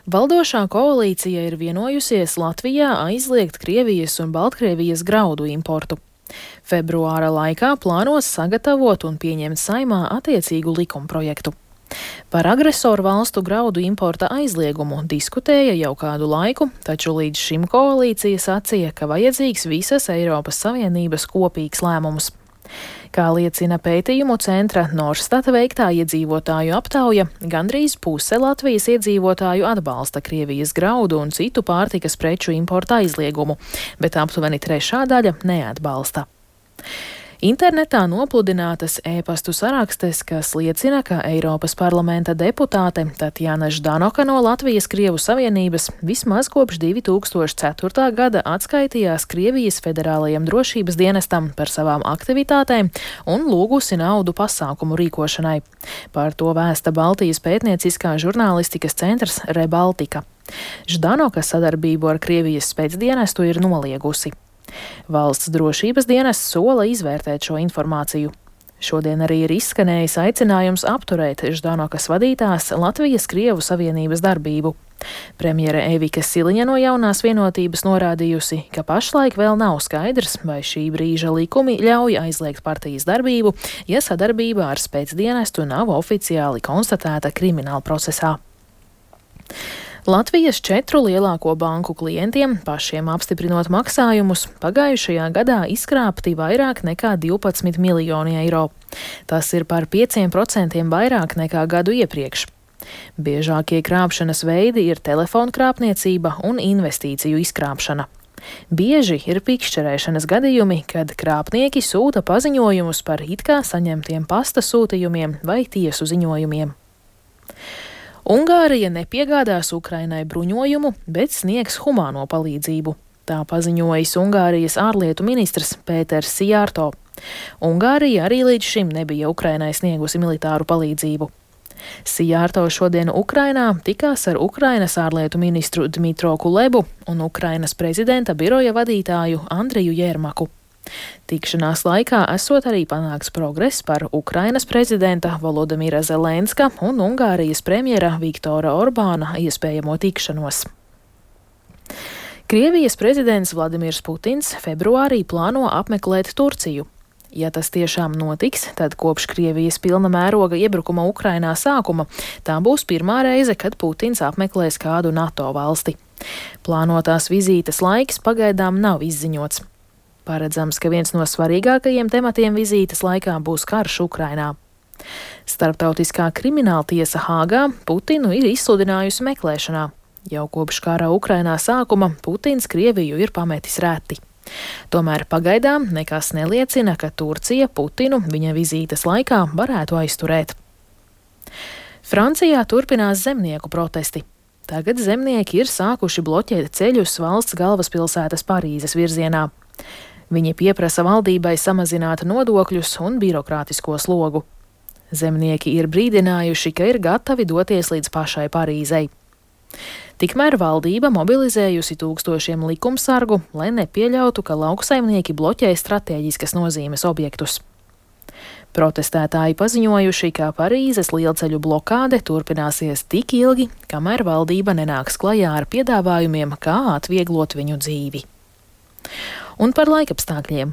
Valdošā koalīcija ir vienojusies Latvijā aizliegt Krievijas un Baltkrievijas graudu importu. Februāra laikā plānos sagatavot un pieņemt Saeimā attiecīgu likumprojektu. Par agresoru valstu graudu importa aizliegumu diskutēja jau kādu laiku, taču līdz šim koalīcija sacīja, ka vajadzīgs visas Eiropas Savienības kopīgs lēmums. Kā liecina pētījumu centra Norstata veiktā iedzīvotāju aptauja, gandrīz puse Latvijas iedzīvotāju atbalsta Krievijas graudu un citu pārtikas preču importa aizliegumu, bet aptuveni trešā daļa neatbalsta. Internetā nopludinātas e-pastu sarakstes, kas liecina, ka Eiropas parlamenta deputāte Tatjana Ždanoka no Latvijas Krievu Savienības vismaz kopš 2004. gada atskaitījās Krievijas federālajam drošības dienestam par savām aktivitātēm un lūgusi naudu pasākumu rīkošanai. Par to vēsta Baltijas pētnieciskā žurnālistikas centrs Rebaltika. Ždanoka sadarbību ar Krievijas spēcdienestu ir noliegusi. Valsts drošības dienests sola izvērtēt šo informāciju. Šodien arī ir izskanējis aicinājums apturēt Ždanokas vadītās Latvijas Krievu Savienības darbību. Premjere Evika Siliņa no Jaunās vienotības norādījusi, ka pašlaik vēl nav skaidrs, vai šī brīža likumi ļauj aizliegt partijas darbību, ja sadarbība ar spēcdienestu nav oficiāli konstatēta krimināla procesā. Latvijas 4 lielāko banku klientiem, pašiem apstiprinot maksājumus, pagājušajā gadā izkrāpti vairāk nekā 12 miljoni eiro. Tas ir par 5% vairāk nekā gadu iepriekš. Biežākie krāpšanas veidi ir telefonu krāpniecība un investīciju izkrāpšana. Bieži ir pikšķerēšanas gadījumi, kad krāpnieki sūta paziņojumus par it kā saņemtiem pasta sūtījumiem vai tiesu ziņojumiem. Ungārija nepiegādās Ukrainai bruņojumu, bet sniegs humāno palīdzību. Tā paziņojis Ungārijas ārlietu ministrs Pēters Szijjártó. Ungārija arī līdz šim nebija Ukrainai sniegusi militāru palīdzību. Szijjártó šodien Ukrainā tikās ar Ukrainas ārlietu ministru Dmitro Kulebu un Ukrainas prezidenta biroja vadītāju Andriju Jermaku. Tikšanās laikā esot arī panākts progress par Ukrainas prezidenta Volodimira Zelenska un Ungārijas premjera Viktora Orbāna iespējamo tikšanos. Krievijas prezidents Vladimirs Putins februārī plāno apmeklēt Turciju. Ja tas tiešām notiks, tad kopš Krievijas pilna mēroga iebrukuma Ukrainā sākuma tā būs pirmā reize, kad Putins apmeklēs kādu NATO valsti. Plānotās vizītes laiks pagaidām nav izziņots. Paredzams, ka viens no svarīgākajiem tematiem vizītes laikā būs karš Ukrainā. Starptautiskā krimināla tiesa Hāgā Putinu ir izsludinājusi meklēšanā. Jau kopš kara Ukrainā sākuma Putins Krieviju ir pametis reti. Tomēr pagaidām nekas neliecina, ka Turcija Putinu viņa vizītes laikā varētu aizturēt. Francijā turpinās zemnieku protesti. Tagad zemnieki ir sākuši bloķēt ceļus valsts galvaspilsētas Parīzes virzienā. Viņi pieprasa valdībai samazināt nodokļus un birokrātisko slogu. Zemnieki ir brīdinājuši, ka ir gatavi doties līdz pašai Parīzei. Tikmēr valdība mobilizējusi tūkstošiem likumsargu, lai nepieļautu, ka lauksaimnieki bloķē stratēģiskas nozīmes objektus. Protestētāji paziņojuši, ka Parīzes lielceļu blokāde turpināsies tik ilgi, kamēr valdība nenāks klajā ar piedāvājumiem, kā atvieglot viņu dzīvi. Un par laikapstākļiem.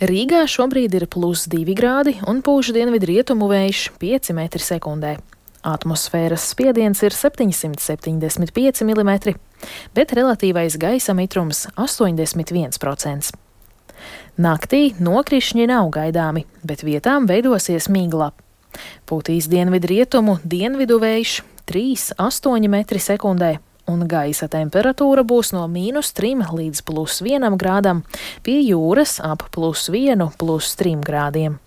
Rīgā šobrīd ir +2 grādi un pūš dienvidrietumu vējš 5 metri sekundē. Atmosfēras spiediens ir 775 mm, bet relatīvais gaisa mitrums 81%. Naktī nokrišņi nav gaidāmi, bet vietām veidosies migla. Pūtīs dienvidrietumu dienvidu vējš 3,8 metri sekundē. Un gaisa temperatūra būs no -3 līdz +1 grādam, pie jūras ap +1, +3 grādiem.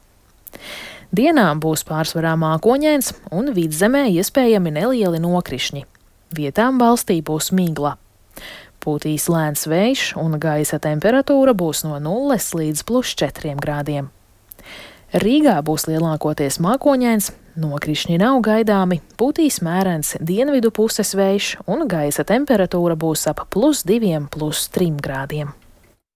Dienā būs pārsvarā mākoņains un vidzemē iespējami nelieli nokrišņi. Vietām valstī būs migla. Pūtīs lēns vējš un gaisa temperatūra būs no 0 līdz +4 grādiem. Rīgā būs lielākoties mākoņains, nokrišņi nav gaidāmi, pūtīs mērens dienvidu puses vējš un gaisa temperatūra būs ap +2, +3 grādiem.